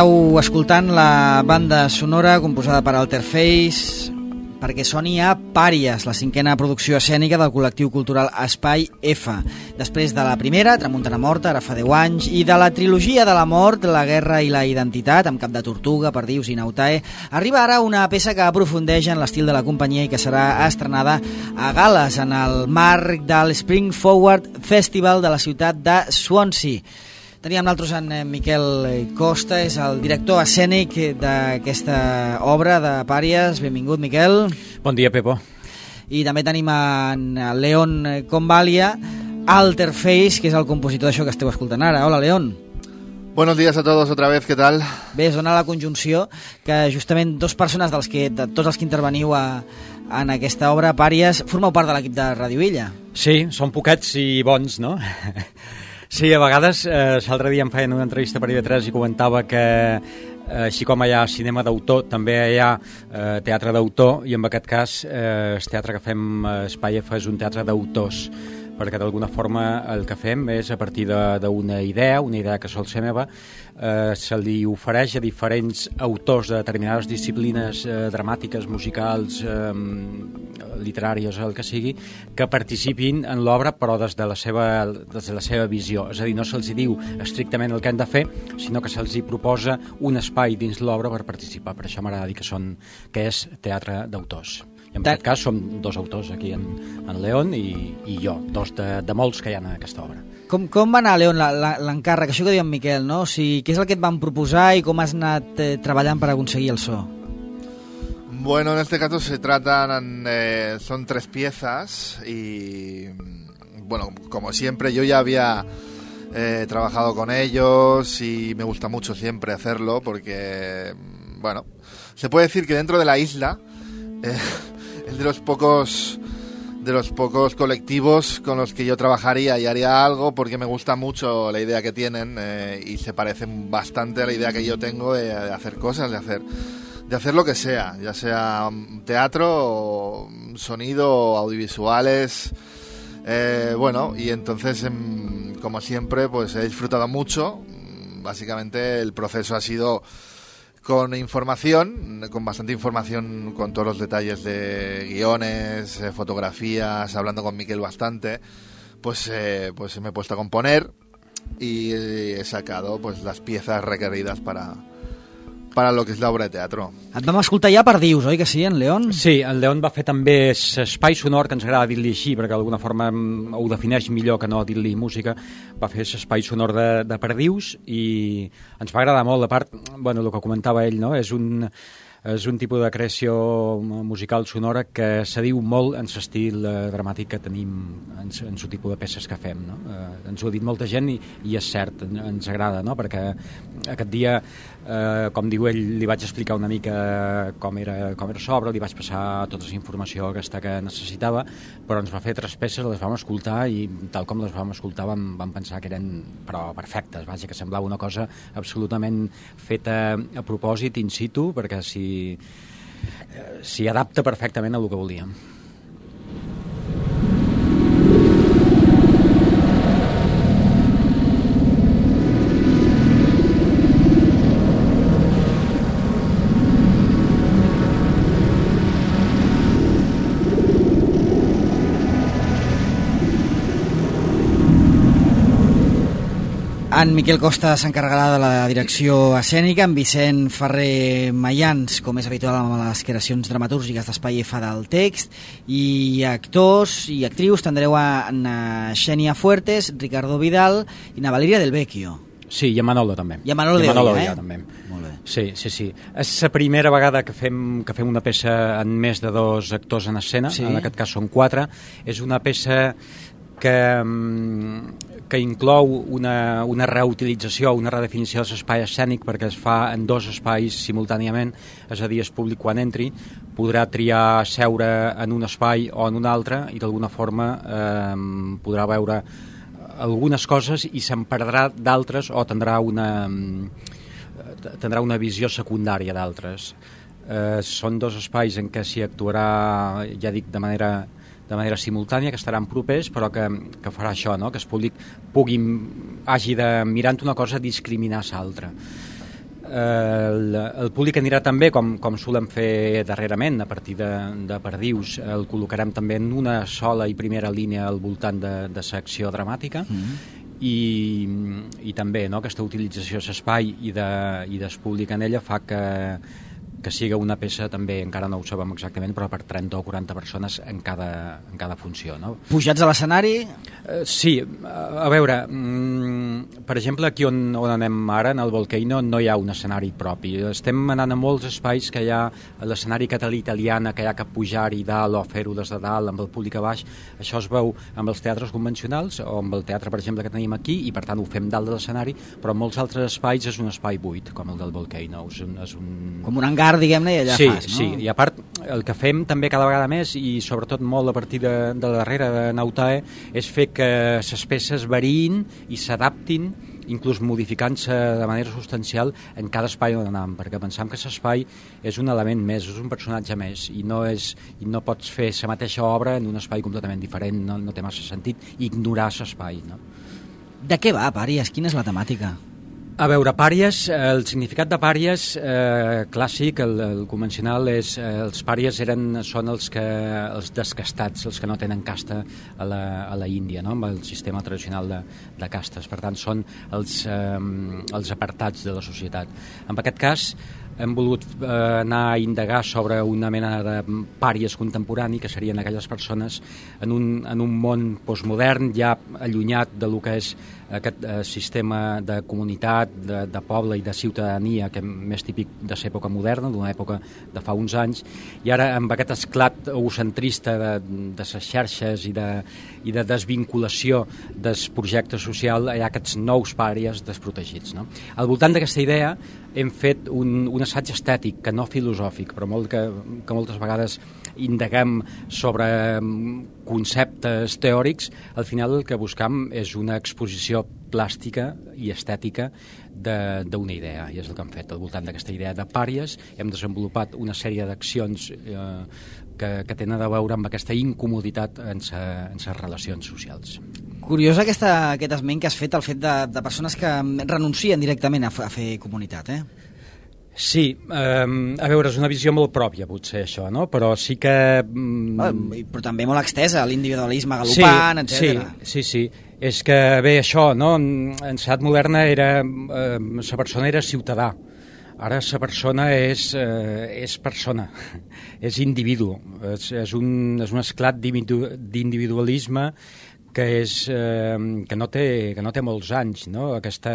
Estàu escoltant la banda sonora composada per Alterface perquè soni a Pàries, la 5a producció escènica del col·lectiu cultural Espai F. Després de la primera, Tramuntana Morta, ara fa 10 anys, i de la trilogia de la mort, la guerra i la identitat, amb Cap de Tortuga, Perdius i Nautae, arriba ara una peça que aprofundeix en l'estil de la companyia i que serà estrenada a Gal·les, en el marc del Spring Forward Festival de la ciutat de Swansea. Teníem nosaltres en Miquel Costa, és el director escènic d'aquesta obra de Pàries. Benvingut, Miquel. Bon dia, Pepo. I també tenim en León Convalia, Alterface, que és el compositor d'això que esteu escoltant ara. Hola, León. Buenos días a todos otra vez, ¿qué tal? Bé, es dona la conjunció que justament dos persones de tots els que interveniu en aquesta obra, Pàries, formeu part de l'equip de Ràdio Illa. Sí, són poquets i bons, no? Sí, a vegades, l'altre dia em feien una entrevista per IB3 i comentava que així com hi ha cinema d'autor, també hi ha teatre d'autor, i en aquest cas el teatre que fem a Espai F és un teatre d'autors, perquè d'alguna forma el que fem és a partir d'una idea que sol ser meva, se li ofereix a diferents autors de determinades disciplines dramàtiques, musicals, literàries, el que sigui, que participin en l'obra però des de la seva visió. És a dir, no se'ls diu estrictament el que han de fer, sinó que se'ls proposa un espai dins l'obra per participar. Per això m'agrada dir que és teatre d'autors. I en aquest cas som dos autors aquí, en León i jo, dos de molts que hi ha en aquesta obra. Com va anar, León, l'encàrrec? Això que diu en Miquel, no? O sigui, què és el que et van proposar i com has anat treballant per aconseguir el so? Bueno, en este caso se tratan, son 3 piezas y, bueno, como siempre, yo ya había trabajado con ellos y me gusta mucho siempre hacerlo porque, bueno, se puede decir que dentro de la isla es de los pocos colectivos con los que yo trabajaría y haría algo porque me gusta mucho la idea que tienen y se parecen bastante a la idea que yo tengo de hacer cosas, de hacer lo que sea, ya sea teatro, sonido, audiovisuales, bueno, y entonces, como siempre, pues he disfrutado mucho. Básicamente el proceso ha sido con información, con bastante información, con todos los detalles de guiones, fotografías, hablando con Miquel bastante, pues me he puesto a componer y he sacado pues las piezas requeridas para lo que és l'obra de teatre. Et vam escoltar ja Perdius, oi que sí, en León? Sí, en León va fer també espai sonor, que ens agrada dir-li així, perquè d'alguna forma ho defineix millor que no dir-li música. Va fer espai sonor de Perdius i ens va agradar molt. A part, bueno, el que comentava ell, no? És un tipus de creació musical sonora que s'adiu molt en l'estil dramàtic que tenim en el tipus de peces que fem, no? Ens ho ha dit molta gent i és cert, ens agrada, no? Perquè aquest dia, com diu ell, li vaig explicar una mica com era l'obra, li vaig passar tota la informació aquesta que necessitava, però ens va fer 3 peces, les vam escoltar i tal com les vam escoltar vam pensar que eren però perfectes, vaja, que semblava una cosa absolutament feta a propòsit, in situ, perquè s'hi adapta perfectament a el que volíem. En Miquel Costa s'encarregarà de la direcció escènica, en Vicent Ferrer Mayans, com és habitual amb les creacions dramatúrgiques d'Espai F del text, i actors i actrius tindreu en Xènia Fuertes, Ricardo Vidal i na Valeria Del Vecchio. Sí, i en Manolo també. I en Manolo de Olla, també. Molt bé. Sí. És la primera vegada que fem una peça amb més de 2 actors en escena, sí. En aquest cas són 4. És una peça que inclou una reutilització, una redefinició de l'espai escènic perquè es fa en 2 espais simultàniament, és a dir, el públic quan entri podrà triar seure en un espai o en un altre i d'alguna forma podrà veure algunes coses i se'n perdrà d'altres o tindrà una visió secundària d'altres. Són 2 espais en què s'hi actuarà, ja dic, de manera simultània, que estaran propers, però que farà això, no? Que el públic hagi de, mirant una cosa, discriminar l'altra. el públic anirà també, com solem fer darrerament, a partir de perdius. El col·locarem també en una sola i primera línia al voltant de secció dramàtica, i també, no, aquesta utilització de l'espai i del públic en ella fa que siga una peça també, encara no ho sabem exactament, però per 30 o 40 persones en cada funció, no? Pujats a l'escenari? Sí, a veure, per exemple, aquí on anem ara, en el Volcano, no hi ha un escenari propi. Estem anant a molts espais que hi ha l'escenari català italiana, que hi ha que pujar-hi dalt o fer-ho des de dalt amb el públic a baix. Això es veu amb els teatres convencionals o amb el teatre, per exemple, que tenim aquí, i per tant ho fem dalt de l'escenari, però en molts altres espais és un espai buit, com el del Volcano. És un... Com un hangar, diguem-ne, i allà fas, no? Sí, i a part, el que fem també cada vegada més, i sobretot molt a partir de la darrera de Nautae, és fer que les peces variïn i s'adaptin, inclús modificant-se de manera substancial en cada espai on anem, perquè pensam que l'espai és un element més, és un personatge més, i no pots fer la mateixa obra en un espai completament diferent, no té massa sentit ignorar l'espai, no? De què va, Pàries? Quina és la temàtica? A veure, pàries, el significat de pàries clàssic, el convencional, és els pàries són els descastats, els que no tenen casta a la Índia, no? Amb el sistema tradicional de castes. Per tant, són els apartats de la societat. En aquest cas, hem volgut anar a indagar sobre una mena de pàries contemporani, que serien aquelles persones en un món postmodern, ja allunyat de lo que és aquest sistema de comunitat, de poble i de ciutadania, que és més típic de l'època moderna, d'una època de fa uns anys, i ara amb aquest esclat egocentrista de les xarxes i de desvinculació del projecte social, hi ha aquests nous pàries desprotegits, no? Al voltant d'aquesta idea hem fet un assaig estètic, que no filosòfic, però que moltes vegades indaguem sobre conceptes teòrics. Al final el que buscam és una exposició plàstica i estètica d'una idea, i és el que hem fet. Al voltant d'aquesta idea de pàries hem desenvolupat una sèrie d'accions que tenen a veure amb aquesta incomoditat en les relacions socials. Curiós aquest esment que has fet, el fet de persones que renuncien directament a fer comunitat, eh? Sí, a veure, és una visió molt pròpia, potser, això, no? Però sí que... Però també molt extesa, l'individualisme galopant, etc. Sí. És que, bé, això, no? En societat moderna la persona era ciutadà. Ara la persona és persona, és individu. És un esclat d'individualisme que no té molts anys, no? Aquest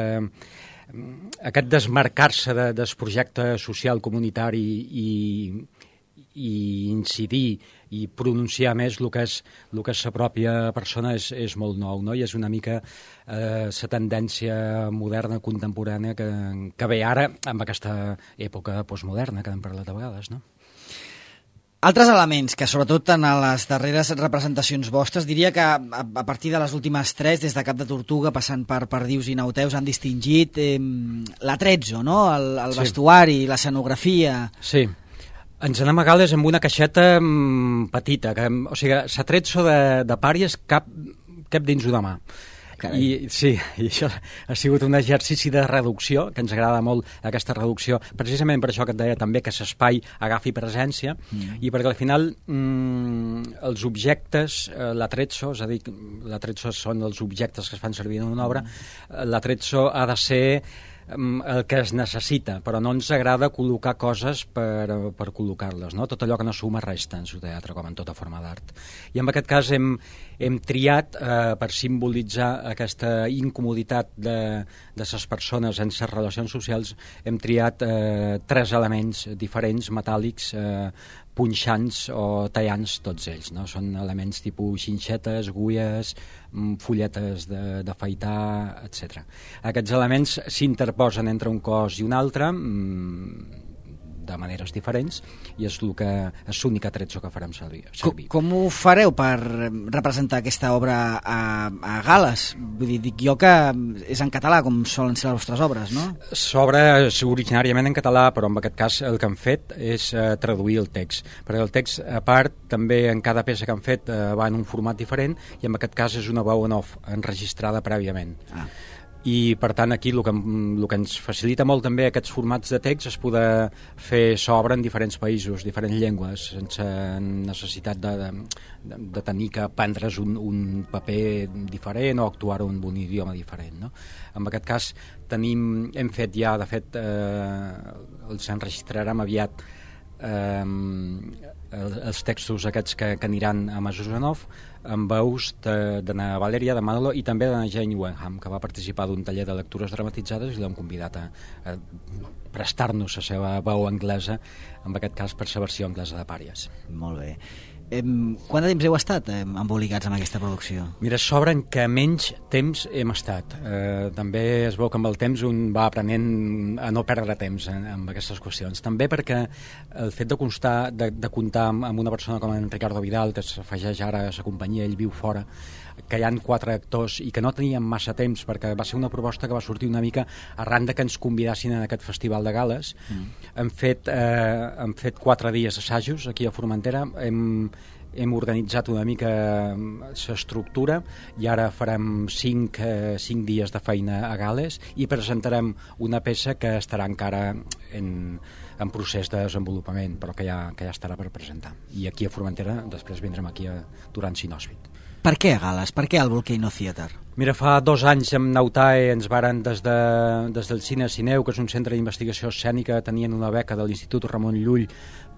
desmarcar-se del projecte social comunitari i incidir i pronunciar més el que és la pròpia persona és molt nou, no? I és una mica la tendència moderna, contemporània, que ve ara amb aquesta època postmoderna que hem parlat a vegades, no? Altres elements que, sobretot en les darreres representacions vostres, diria que a partir de les últimes 3, des de Cap de Tortuga, passant per Perdius i Nauteus, han distingit l'atrezzo, no? El vestuari, l'escenografia... Sí. Ens n'anem a Gales amb una caixeta petita. O sigui, l'atrezzo de Pàries cap dins una mà. I això ha sigut un exercici de reducció, que ens agrada molt aquesta reducció, precisament per això que et deia també, que l'espai agafi presència, i perquè al final els objectes, l'atrezzo, és a dir, l'atrezzo són els objectes que es fan servir en una obra, l'atrezzo ha de ser el que es necessita, però no ens agrada col·locar coses per col·locar-les, no? Tot allò que no suma resta en el teatre, com en tota forma d'art. I en aquest cas hem triat, per simbolitzar aquesta incomoditat de les persones en les relacions socials, hem triat 3 elements diferents, metàl·lics, punxants o tallants, tots ells, no? Són elements tipus xinxetes, guies, fulletes d'afaitar, etc. Aquests elements s'interposen entre un cos i un altre de maneres diferents, i és l'únic atrezzo que farem servir. Com ho fareu per representar aquesta obra a Gales? Vull dir, dic jo que és en català, com solen ser les vostres obres, no? S'obre originàriament en català, però en aquest cas el que hem fet és traduir el text, perquè el text, a part, també en cada peça que hem fet va en un format diferent, i en aquest cas és una veu en off, enregistrada prèviament. i per tant aquí el que ens facilita molt també aquests formats de text és poder fer s'obra en diferents països, diferents llengües, sense necessitat de tenir que prendre's un paper diferent o actuar-ho en un idioma diferent, no? En aquest cas hem fet ja, de fet els enregistrarem aviat els textos aquests que aniran a Masusanov amb veus de na Valeria, de Manolo i també de na Jane Wenham, que va participar d'un taller de lectures dramatitzades i l'hem convidat a prestar-nos la seva veu anglesa, en aquest cas per la versió anglesa de Pàries. Molt bé. Quant de temps heu estat embolicats amb aquesta producció? Mira, sobren que menys temps hem estat. També es veu que amb el temps un va aprenent a no perdre temps amb aquestes qüestions. També perquè el fet de comptar amb una persona com en Ricardo Vidal, que s'afegeix ara a la companyia, ell viu fora, que hi ha 4 actors i que no teníem massa temps perquè va ser una proposta que va sortir una mica arran de que ens convidassin en aquest festival de gales. Hem fet 4 dies assajos aquí a Formentera, hem organitzat una mica l'estructura i ara farem 5 dies de feina a Gales i presentarem una peça que estarà encara en procés de desenvolupament, però que ja estarà per presentar. I aquí a Formentera després vindrem aquí durant Sinòspit. Per què a Gales? Per què al Volcano Theatre? Mira, fa 2 anys amb Nautae ens varen des del Cine Cineu, que és un centre d'investigació escènica, tenien una beca de l'Institut Ramon Llull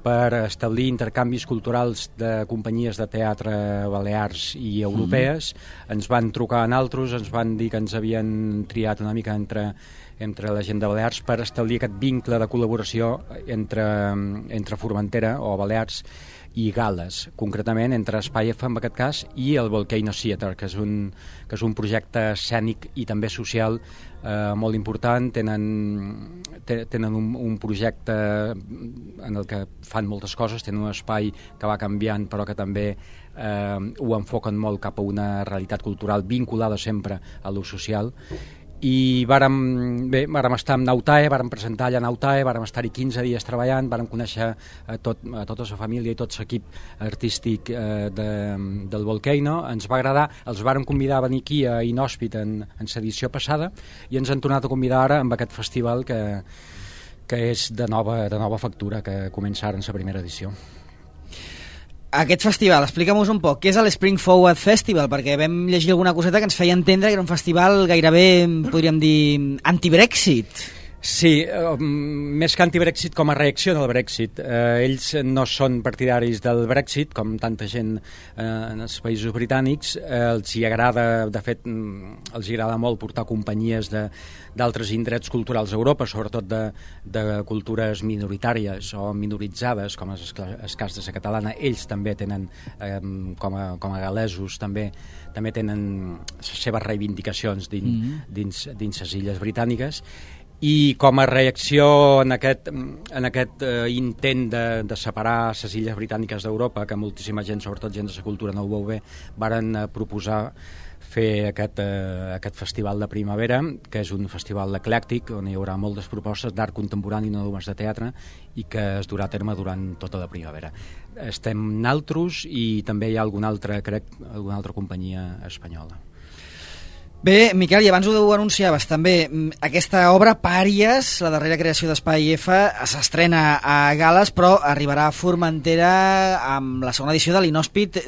per establir intercanvis culturals de companyies de teatre balears i europees. Ens van trucar a nosaltres, ens van dir que ens havien triat una mica entre la gent de Balears per establir aquest vincle de col·laboració entre Formentera o Balears i Gales, concretament entre Espai F en aquest cas i el Volcano Theatre, que és un projecte escènic i també social molt important. Tenen un projecte en el que fan moltes coses, tenen un espai que va canviant però que també ho enfoquen molt cap a una realitat cultural vinculada sempre a l'ús social. I vàrem estar amb Nautae, vàrem presentar allà Nautae, vàrem estar-hi 15 dies treballant, vàrem conèixer a tota la família i tot l'equip artístic del Volcano. Ens va agradar, els vàrem convidar a venir aquí a Inhòspit en l'edició passada i ens han tornat a convidar ara amb aquest festival que és de nova factura, que comença ara en la primera edició. Aquest festival, explica'm-nos un poc, què és l'Spring Forward Festival? Perquè vam llegir alguna coseta que ens feia entendre que era un festival gairebé, podríem dir, anti-Brexit. Sí, més que anti-Brexit com a reacció al Brexit. Ells no són partidaris del Brexit, com tanta gent en els països britànics. Els hi agrada, de fet, els hi agrada molt portar companyies d'altres indrets culturals a Europa, sobretot de cultures minoritàries o minoritzades, com és el cas de la catalana. Ells també tenen, com a galesos, també tenen les seves reivindicacions dins les illes britàniques. I com a reacció en aquest intent de separar les illes britàniques d'Europa, que moltíssima gent, sobretot gent de la cultura, no ho veu bé, varen proposar fer aquest festival de primavera, que és un festival eclèctic on hi haurà moltes propostes d'art contemporani, no només de teatre, i que es durà a terme durant tota la primavera. Estem naltros i també hi ha alguna altra companyia espanyola. Bé, Miquel, i abans ho anunciaves també, aquesta obra, Pàries, la darrera creació d'Espai F, s'estrena a Gales, però arribarà a Formentera amb la segona edició de l'Inhòspit,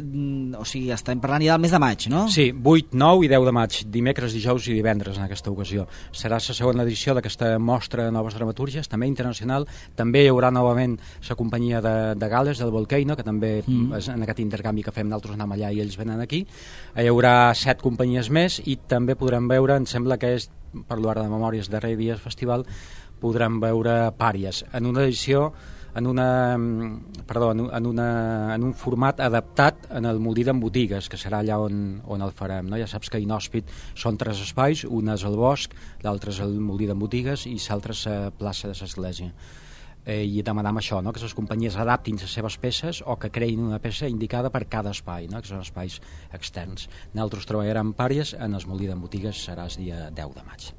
o sigui, estem parlant ja del mes de maig, no? Sí, 8, 9 i 10 de maig, dimecres, dijous i divendres en aquesta ocasió. Serà la segona edició d'aquesta mostra de noves dramatúrgies, també internacional. També hi haurà novament la companyia de Gales, del Volcano, que també en aquest intercanvi que fem nosaltres anem allà i ells venen aquí. Hi haurà 7 companyies més i també podrem veure, em sembla que és, parlo ara de memòries, darrer dia del festival, podrem veure Pàries en una edició, en un format adaptat en el Molí d'en Botigues, que serà allà on el farem, no? Ja saps que a Inhòspit són 3 espais, un és el bosc, l'altre és el Molí d'en Botigues i l'altre és la plaça de l'Església. I demanam això, no? Que les companyies adaptin les seves peces o que creïn una peça indicada per cada espai, no? Que són espais externs. Nosaltres treballarem Pàries, en el Molí d'en Botigues serà el dia 10 de maig.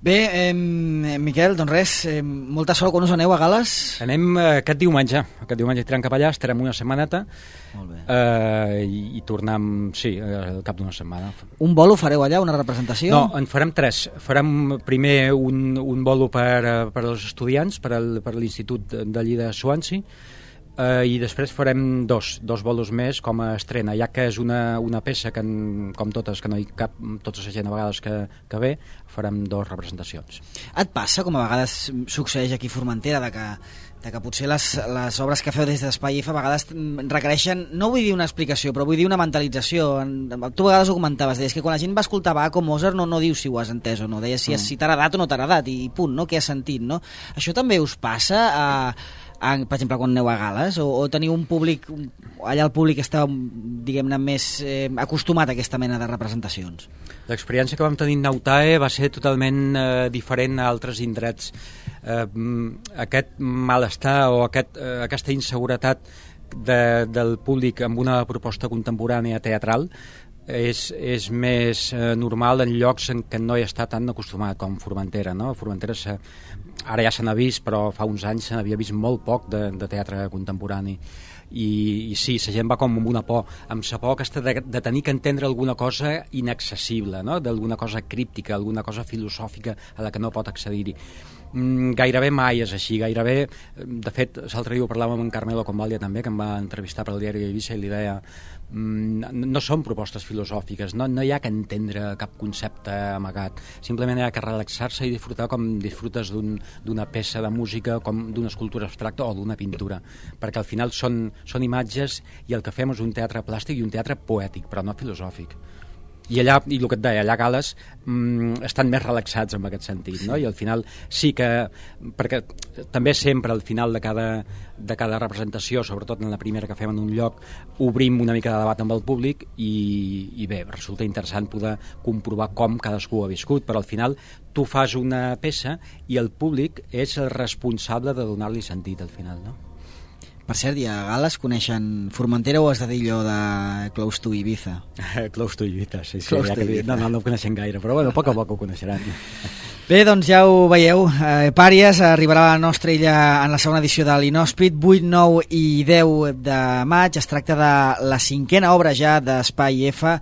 Bé, Miquel, doncs res, molta sort quan us aneu a Gal·les. Anem aquest diumenge tirant cap allà, estarem una setmaneta. Molt bé. I tornem, sí, al cap d'una setmana. Un bolo fareu allà, una representació? No, en farem 3. Farem primer un bolo per als estudiants, per l'Institut d'allí de Swansea, i després farem dos bolos més com a estrena, ja que és una peça que, com totes, que no hi cap tota la gent a vegades que ve, farem 2 representacions. Et passa, com a vegades succeeix aquí a Formentera, de que potser les obres que feu des d'Espai F a vegades requereixen, no vull dir una explicació, però vull dir una mentalització. Tu a vegades ho comentaves, deies que quan la gent va escoltar Bach o Mozart no dius si ho has entès o no, deies si t'ha agradat o no t'ha agradat i punt, no? Què has sentit, no? Això també us passa per exemple, quan aneu a Gal·les, o teniu un públic, allà el públic està, diguem-ne, més acostumat a aquesta mena de representacions? L'experiència que vam tenir en Nautae va ser totalment diferent a altres indrets. Aquest malestar o aquesta inseguretat del públic amb una proposta contemporània teatral és més normal en llocs en què no hi està tan acostumat com Formentera, no? Formentera ara ja se n'ha vist, però fa uns anys se n'havia vist molt poc de teatre contemporani i sí, la gent va com amb una por, amb la por aquesta de tenir que entendre alguna cosa inaccessible, no? D'alguna cosa críptica, alguna cosa filosòfica a la que no pot accedir-hi. Gairebé mai és així, gairebé, de fet, l'altre dia ho parlàvem amb en Carmelo Convalia també, que em va entrevistar per al diari d'Eivissa i li deia no són propostes filosòfiques, no hi ha que entendre cap concepte amagat, simplement hi ha que relaxar-se i disfrutar com disfrutes d'una peça de música, com d'una escultura abstracta o d'una pintura, perquè al final són imatges i el que fem és un teatre plàstic i un teatre poètic, però no filosòfic. I allà, i el que et deia, allà a Gal·les estan més relaxats en aquest sentit, no? I al final sí que, perquè també sempre al final de cada representació, sobretot en la primera que fem en un lloc, obrim una mica de debat amb el públic i bé, resulta interessant poder comprovar com cadascú ha viscut, però al final tu fas una peça i el públic és el responsable de donar-li sentit al final, no? Per cert, i a Gal·les coneixen Formentera o has de dir allò de Close to Ibiza? Close to Ibiza, sí. Close to Ibiza. No ho coneixen gaire, però bueno, a poc ho coneixeran. Bé, doncs ja ho veieu, Pàries arribarà a la nostra illa en la segona edició de l'Inhòspit, 8, 9 i 10 de maig. Es tracta de la 5a obra ja d'Espai F.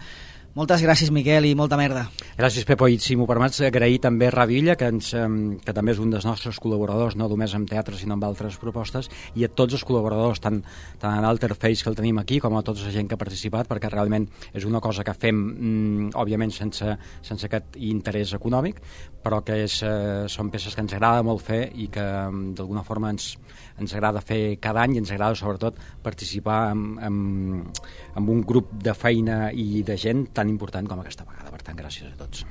Moltes gràcies, Miquel, i molta merda. Gràcies, Pepo, i si m'ho permets, agrair també a Ràdio Illa, que també és un dels nostres col·laboradors, no només amb teatre, sinó amb altres propostes, i a tots els col·laboradors, tant en Alterface, que el tenim aquí, com a tota la gent que ha participat, perquè realment és una cosa que fem, òbviament, sense aquest interès econòmic, però que són peces que ens agrada molt fer i que, d'alguna forma, ens agrada fer cada any i ens agrada, sobretot, participar amb un grup de feina i de gent tan important com aquesta vegada. Per tant, gràcies a tots.